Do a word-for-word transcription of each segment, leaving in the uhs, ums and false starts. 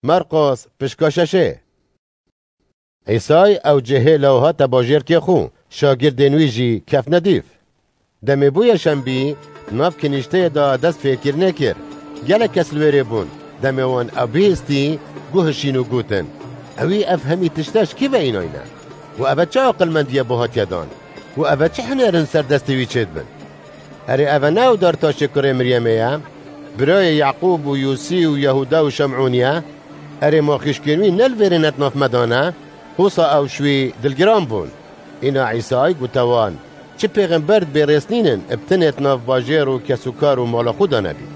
Merqos, pişka şeşê. Îsay ew cihê lew hate bajêrkê xwe, şagirdên wî jî kefne dîv. Demê bûye şembî, nav kinîşteyê de dest fêrkirinê kir. Gelek kes li wêrê bûn. Demê wan ew bihîstî, guhişîn û gotin, "Ewî ev hemî tişte ji kî ve înayne? Û ev e çi aqilmendiyê bo hatiye dan? Û ev e çi hinêr in ser destê wî çêdibin? Erê, ev e ne ew Dartaşê kurê Miryemê ye? Birayê Yaqûb û Yûsî û Yehuda û Şemûnî ye? Erê, ma xîşkên wî ne li vêrê ne di nav me de ne?" Hosa ew ji wî dilgiran bûn. Îna Îsay gote wan, "Çi pêxember di bêrêz nînin, bi tenê di nav bajêr û kesûkar û mala xwe de nebî?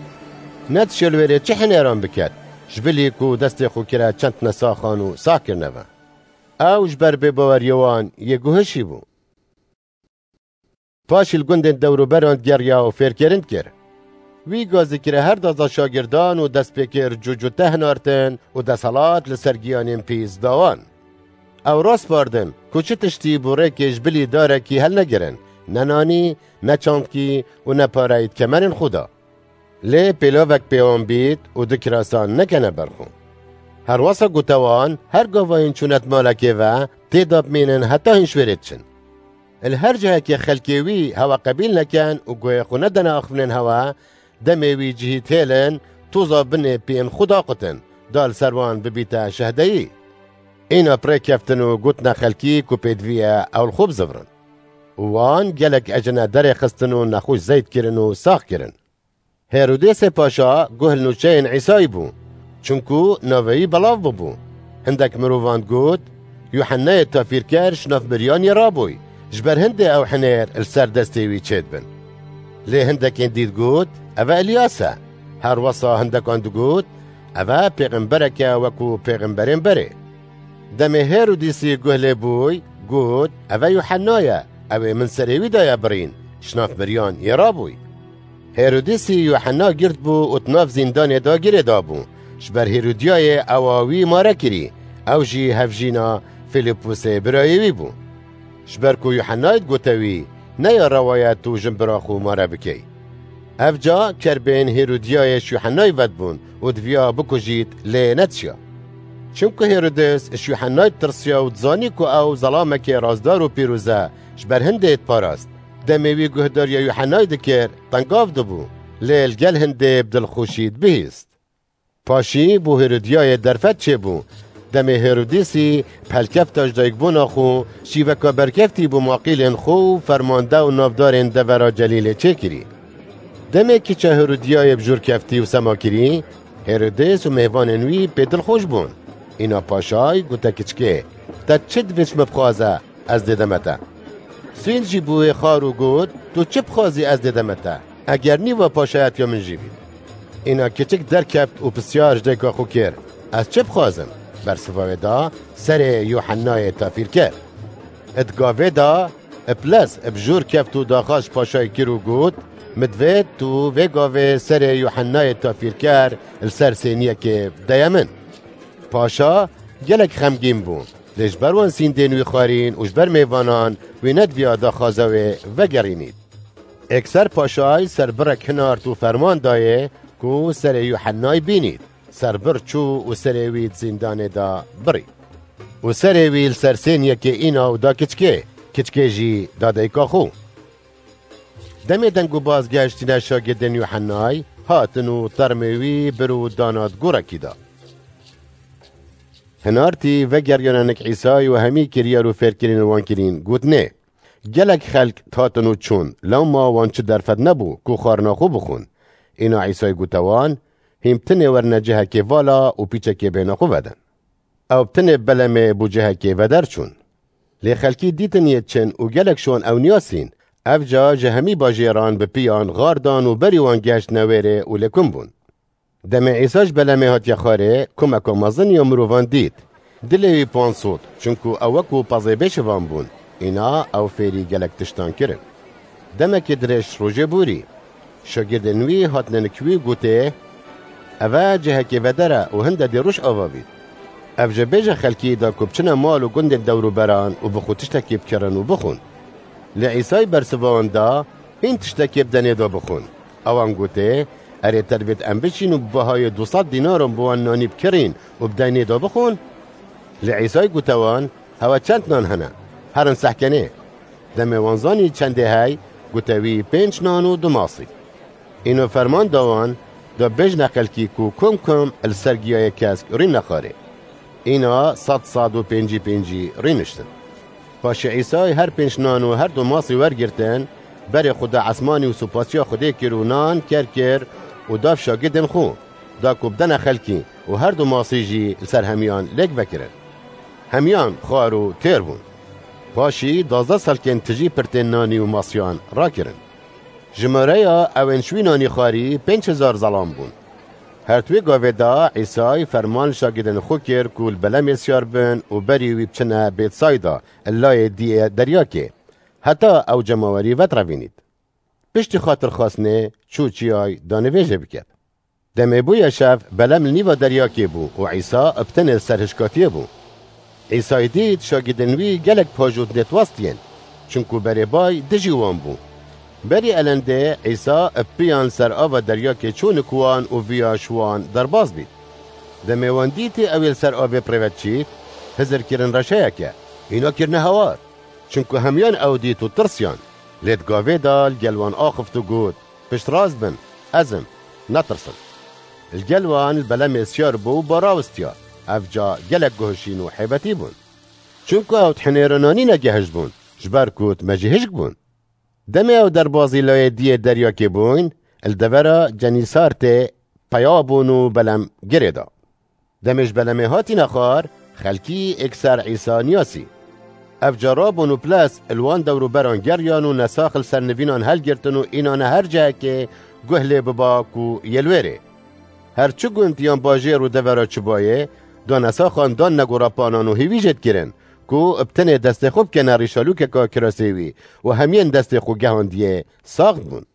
Ne dişê li wêrê çi hinêran biket, ji bilî ku destê xwe kire çend tine saxan û sax kirine ve?" Ew ji ber bêbaweriya wan yê guhişî bû. Paşî li gundên dewroberan digeriya û fêrkirin dikir. Wî gazî kire her daza şagirdan û dest pê kir cûcûte hinartin û desthilat li ser giyanên pîs da wan. Ew raspardin ku çi tiştî bo rêkê ji bilî darekî helnegirin, ne nanî, ne çandkî û ne pareyî di kemerên xwe de. Lê pêlavek pê wan bît û du kirasan nekene ber xwe. Herwesa gote wan, her gavayên çûne di malekê ve, tê de bimînin heta hîn ji wêrê diçin. Li her cihekê xelkê wî hewa qebîl neken û guhê xwe nedene axivnên hewa, demê wî cihî dihêlin, toza binê piyên xwe daqutin, da li ser wan bibîte şehdeyî. Îna bi rê keftin û gotine xelkî ku pêdivî ye ew li xwe bizivirin. Û wan gelek ecine derê xistin û nexweş zeyt kirin û sax kirin. Hêrodêsê Paşa guh li nûçeyên Îsayî bû, çunku navê wî belav bûbû. Hindek mirovan digot, "Yuhennayê tafîrker ji nav miriyan yê rabûy, ji ber hindê ew hinêr li ser destê wî çêdibin." Lê hindekên dî digot, "Ev e Îlyas e." Her wesa hindekan digot, "Ev e pêxemberek e wekû pêxemberên berê." Demê Hêrodîsî guh lê bûy, got, "Ev e Yuhenna ye, ew ê min serê wî daye birîn, ji nav miriyan yê rabûy." Hêrodîsî Yuhenna girt bû û di nav zîndanê de girê dabû, ji ber Hêrodiyayê ewa wî mare kirî, ew jî hevjîna Fîlîpusê birayê wî bû. Ji ber ku Yuhennayê digote wî, "Ne ya rewa ye tu jinbira xwe mare bikey." Ev ca kerbên Hêrodiyayê ji Yuhennayê vedibûn û diviya bikujît, lê nedişiya. Çimku Hêrodis ji Yuhennayê ditirsiya û dizanî ku ew zelamekê razdar û pîroz e, ji ber hindê diparast. Demê wî guhdariya Yuhennayê dikir, tengav dibû, lê li gel hindê bi dilxweşî dibihîst. Paşî bo Hêrodiyayê derfet çêbû. Demê Hêrodîsî pelkefta ji dayikbûna xwe, şîveka berkeftî bo maqîlên xwe û fermande û navdarên devera Celîlê çêkirî. Demê kiça Hêrodiyayê bi jûr keftî û sema kirî, Hêrodîs û mêvanên wî pê dilxweş bûn. Îna paşay gote kiçikê, "Te çi divê ji min bixwaze, ez dêdeme te." Sîn jî bû wê xar û got, "Tu çi bixwazî, ez dêdeme te. Eger nîva paşayetiya min jî bî." Îna kiçik derkeft û pisyar ji dayika xwe kir, "Ez çi bixwazim?" Bersiva wê da, "Serê Yuhennayê tafîrker." Di gavê da, bi lez bi jûr keft û daxwaz ji paşayê kir û got, "Min divêt tu vê gavê serê Yuhennayê tafîrker li ser sêniyekê bideye min." Paşa gelek xemgîn bû. Lê ji ber wan sîndên wî xwarîn û ji ber mêvanan wî nediviya daxwaza wê vegerînît. Êkser paşay serbirek hinart û ferman dayê ku serê Yuhennay bînît. Serbir çû û serê wî di zîndanê de birî. Û serê wî li ser sêniyekê îna û da kiçikê, kiçikê jî da dayika xwe. Demê deng û baz gehiştîne şagirdên Yuhennay, hatin û termê wî bir û dana di gorekî de. Hinartî vegeriyane nik Îsayî û hemî kiryar û fêrkirinên wan kirîn, gotinê, "Gelek xelk hatin û çûn, lewma wan çi derfet nebû ku xwarina xwe bixwin." Îna Îsayî gote wan, "Hîn bi tinê werine cihekê vala û pîçekê bêhna xwe vedin." Ew bi tinê belemê bo cihekê veder çûn. Lê xelkî dîtin yê çin û gelek şon ew niyasîn. Ev ca ji hemî bajêran bi piyan xar dan û berî wan gehiştine wêrê û lêkum bûn. Demê Îsa ji belemê hatiye xwarê, kumeka mezin ya mirovan dît. Dilê wî pan sot, çunku ew wekû pezê bêşivan bûn. Îna ew fêrî gelek tiştan kirin. Demekê dirêj rojê borî. Şagirdên wî hatine nik wî û gotê, "Ev e cihekê veder e û hinde dê roj ava bît. Ev jê bêje xelkî da ku biçine mal û gundên dewrûberan û bi xwe tiştekî bikirin û bixwin." Lê Îsay bersiva wan da, "Hîn tiştekê bidenê da bixwin." Ewan gotê, Erê te divêt em biçîn û bi bihayê du sed dînaran bi wan nanî bikirîn û bi deynê de bixwin? Lê Îsay gote wan, Hewe çend nan hene? Herin sehkenê. Demê wan zanî çendê hey, gote wî, Pênc nan û du masî. Îno ferman da wan, da, Bêjne xelkî ku kum kum li ser giyayê kesk rîn nexwarê. Îna sed sed û pêncî pêncî rîniştin. Paşê Îsay her pênc nan û her du masî wergirtin, berê xwe da esmanî û supasiya Xwedê kir û nan ker kir û da şagidên xwe, da ku bidene xelkî û her du masî jî li ser hemiyan lêk vekirin. Hemiyan xwar û têr bûn. Paşî dazdeh salkên tijî pirtên nanî û masiyan rakirin. Jimareya ewên ji wî nanî xwarî pênc hezar zelam bûn. Her di wê gavê de Îsay ferman li şagidên xwe kir ku li belemê siyar bin û berî wî biçine Bêtsayda, li layê diyê deryakê, heta ew cemawerî vetrevînît. Piştî xatirxwestinê çû çiyay da nivêjê biket. Demê bûye şev, belem li nîva deryakê bû û Îsa bi tenê li ser hişkatiyê bû. Îsay dît şagidên wî gelek pajot nêtwestiyên, çinku berê bay dijî wan bû. Berî elendê Îsa bi piyan li ser ava deryakê çû nik wan û viya ji wan derbas bît. Demê wan dîtî ew ê li ser avê bi rê ve diçît, hizir kirin reşeyeke, îna kirine hewar. Çinku hemiyan ew dît û tirsiyan. Lê di gavê de li gel wan axift û got, Piştrast bin, ez im, netirsin. Li gel wan li belemê siyar bû û ba rawistiya. Ev ca gelek guh şîn û heybetî bûn. Çinku ew di hinêra nanî negihişt bûn, ji ber ku di mejî hişk bûn. Demê ew derbazî layê diyê deryakê bûn, li devera Cenîsartê peya bûn û belem girê da. Demê ji belemê hatîne xwar, xelkî êkser Îsa niyasî. Ev ca rabûn û ples li wan dewrûberan geriyan û nesax li ser nivînan helgirtin û înane her cihekê guh lê biba ku yê li wê rê. Her çi gund yan bajêr û devera çi bayê, da nesaxan dan negorapanan û hêvî jê dikirin ku bi tenê destê xwe bikene rîşalûkeka kirasê wî û hemiyên destê xwe gehandiyê sax dibûn.